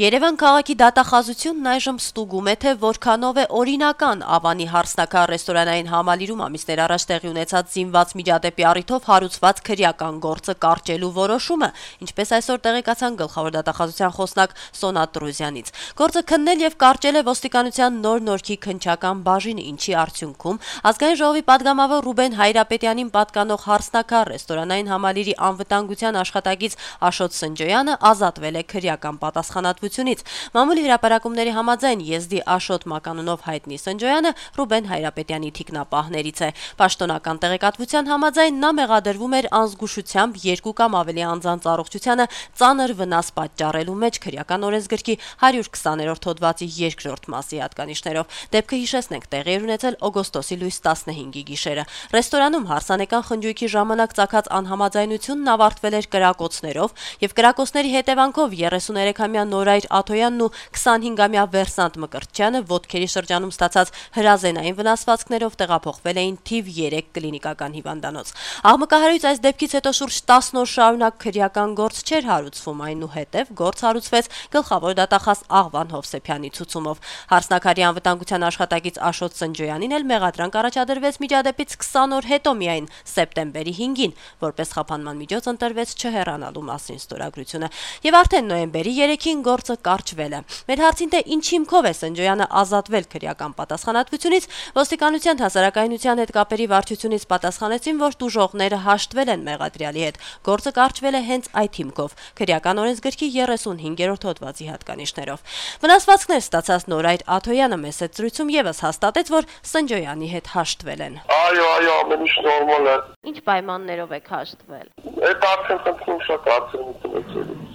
Երևան քաղաքի դատախազությունն այժմ ստուգում է, թե որքանով է օրինական Ավանի հարսնաքար ռեստորանային համալիրում ամիսներ առաջ տեղի ունեցած զինված միջադեպի առիթով հարուցված քրեական գործը կարճելու որոշումը, ինչպես այսօր տեղեկացան գլխավոր դատախազության խոսնակ Սոնա Տրուզյանից։ Գործը քննել եւ կարճել է ոստիկանության նոր նորքի քննչական բաժինը, ինչի արդյունքում Ազգային ժողովի падգամավոր Ռուբեն Հայրապետյանին պատկանող հարսնաքար ռեստորանային համալիրի անվտանգության աշխատակից Աշոտ Սնջոյանը ազատվել է քրեական պատասխանատվությունից։ Մամուլի հրապարակումների համաձայն եզդի Աշոտ մականունով հայտնի Սնջոյանը Ռուբեն Հայրապետյանի թիկնապահներից է։ Պաշտոնական տեղեկատվության համաձայն նա մեղադրվում էր անզգուշությամբ 2 կամ ավելի անձանց առողջությանը ծանր վնաս պատճառելու մեջ քրեական օրենսգրքի 120-րդ հոդվածի 2-րդ մասի հատկանիշներով։ Դեպքը հիշեցնենք տեղի էր ունեցել օգոստոսի լույս 15-ի գիշերը։ Ռեստորանում հարսանեկան խնջույքի ժամանակ ծագած անհամաձայնությունն ավարտվել էր կրակոցներով եւ կրակոցների հետևանքով 33-ամյա Նորայր Աթոյանն ու 25-ամյա Վերսանտ Մկրտչյանը ոտքերի շրջանում ստացած հրազենային վնասվածքներով տեղափոխվել էին թիվ 3 կլինիկական հիվանդանոց։ Աղմկահարույց այս դեպքից հետո շուրջ 10 օր շարունակ քրեական գործ չէր հարուցվում, այնուհետև գործ հարուցվեց գլխավոր դատախազ Աղվան Հովսեփյանի ցուցումով։ Հարսնաքարի անվտանգության աշխատակից Աշոտ Սնջոյանին էլ մեղադրանք առաջադրվեց միջադեպից 20 օր հետո միայն սեպտեմբերի 5-ին, որպես խափանման միջոց ընտրվեց չհեռանալու մասին ստորագրությունը։ Եվ արդեն նոյեմբերի 3-ին գործը կարճվել է։ Մեր հարցին թե ինչ հիմքով է Սնջոյանը ազատվել քրեական պատասխանատվությունից, ոստիկանության հասարակայնության հետ կապերի վարչությունից պատասխանեցին, որ տուժողները հաշտվել են մեղադրյալի հետ։ Գործը կարճվել է հենց այդ հիմքով՝ քրեական օրենսգրքի 35-րդ հոդվածի հատկանիշներով։ Վնասվածքներ ստացած Նորայր Աթոյանը մեծ զրույցում եւս հաստատեց, որ Սնջոյանի հետ հաշտվել են։ Այո, ամեն ինչ նորմալ է։ Ինչ պայմաններով եք հաշտվել։ Այդ արդեն խնդրում շատ արդեն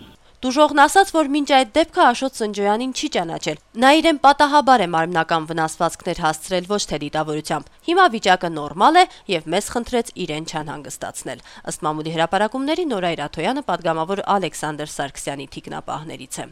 Տուժողն ասաց, որ մինչ այդ դեպքը Աշոտ Սնջոյանին չի ճանաչել։ Նա իրեն պատահաբար է մարմնական վնասվածքներ հասցրել, ոչ թե դիտավորությամբ։ Հիմա վիճակը նորմալ է եւ մեզ խնդրեց իրեն չանհանգստացնել։ Ըստ մամուլի հրապարակումների Նորայր Աթոյանը падգամավոր Ալեքսանդր Սարգսյանի թիկնապահներից է։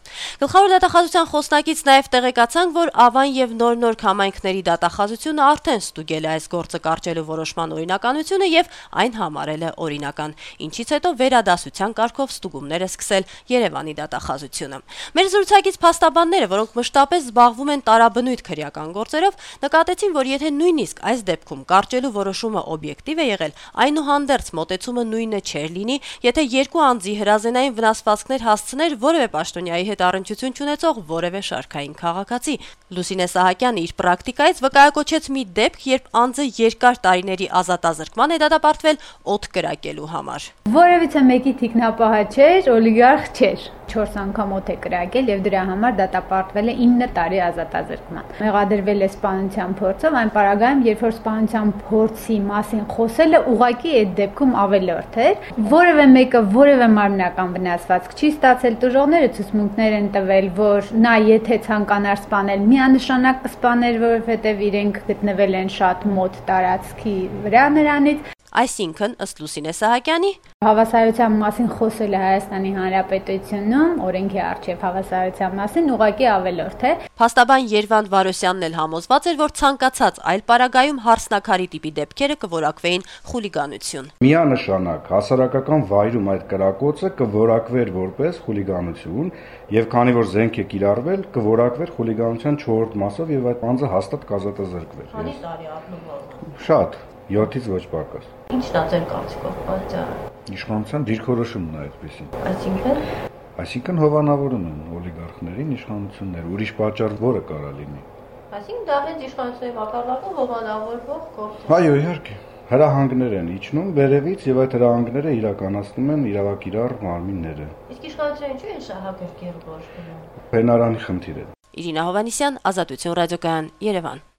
Գլխավոր դատախազության խոսնակից նաեւ տեղեկացանք, որ Ավան եւ նոր համայնքների դատախազությունը արդեն ստուգել է այս գործը կարճելու որոշման օրինականությունը եւ այն համարել է օրինական, ինչից հետո վերադասության կարգով ստուգումներ է սկսել Երևանի դատախազությունը։ Մեր զրուցակից փաստաբանները, որոնք մշտապես զբաղվում են տարաբնույթ քրեական գործերով, նկատեցին, որ եթե նույնիսկ այս դեպքում կարճելու որոշումը օբյեկտիվ է եղել, այնուհանդերձ մոտեցումը նույնը չէր լինի, եթե 2 անձի հրազենային վնասվածքներ հասցներ որևէ պաշտոնյայի հետ առնչություն չունեցող որևէ շարքային քաղաքացի։ Լուսինե Սահակյանը իր պրակտիկայից վկայակոչեց մի դեպք, երբ անձը երկար տարիների ազատազրկման է դատապարտվել օդ կրակելու համար։ Որևիցե մեկի թիկնապահը չէր, օլիգարխ չէր։ 4 անգամ օդ է կրակել եւ դրա համար դատապարտվել է 9 տարի ազատազրկման։ Մեղադրվել է սպանության փորձով, այն պարագայում, երբ որ սպանության փորձի մասին խոսելը ուղղակի այդ դեպքում ավելորդ էր։ Որևէ մեկը որևէ մարմնական վնասվածք չի ստացել, տուժողները ցուցմունքներ են տվել, որ նա եթե ցանկանար սպանել, միանշանակ կսպաներ, որովհետեւ իրենք գտնվել են շատ մոտ տարածքի վրա նրանից։ Այսինքն, ըստ Լուսինե Սահակյանի, հավասարության մասին խոսելը Հայաստանի Հանրապետությունում օրենքի առջև հավասարության մասին ուղղակի ավելորդ է։ Փաստաբան Երվանդ Վարոսյանն էլ համոզված էր, որ ցանկացած այլ պարագայում հարսնաքարի տիպի դեպքերը կորակվեին խուլիգանություն։ Միանշանակ հասարակական վայրում այդ կրակոցը կորակվեր որպես խուլիգանություն, եւ քանի որ զենք է կիրառվել, կորակվեր խուլիգանության 4-րդ մասով եւ այդ անձը հաստատ կազատազրկվեր։ Քանի տարի առնվազն։ Շատ, 7-ից ոչ պակաս։ Ինչն է ձեր կարծիքով պատճառը։ Իշխանության դիրքորոշումն է այդպեսին։ Այսինքն հովանավորում են օլիգարխներին իշխանությունները, ուրիշ պատճառ որը կարա լինի։ Այսինքն դա հենց իշխանությունների մակարդակով հովանավորվող գործ։ Այո, իհարկե։ Հրահանգներ են իջնում վերևից եւ այդ հրահանգները իրականացնում են իրավակիրառ մարմինները։ Իսկ իշխանությունը ինչու է շահագրգիռ գործ գնում։ Բնարանի խնդիր է։ Իրինա Հովանիսյան, Ազատություն ռադիոկայան, Երևան։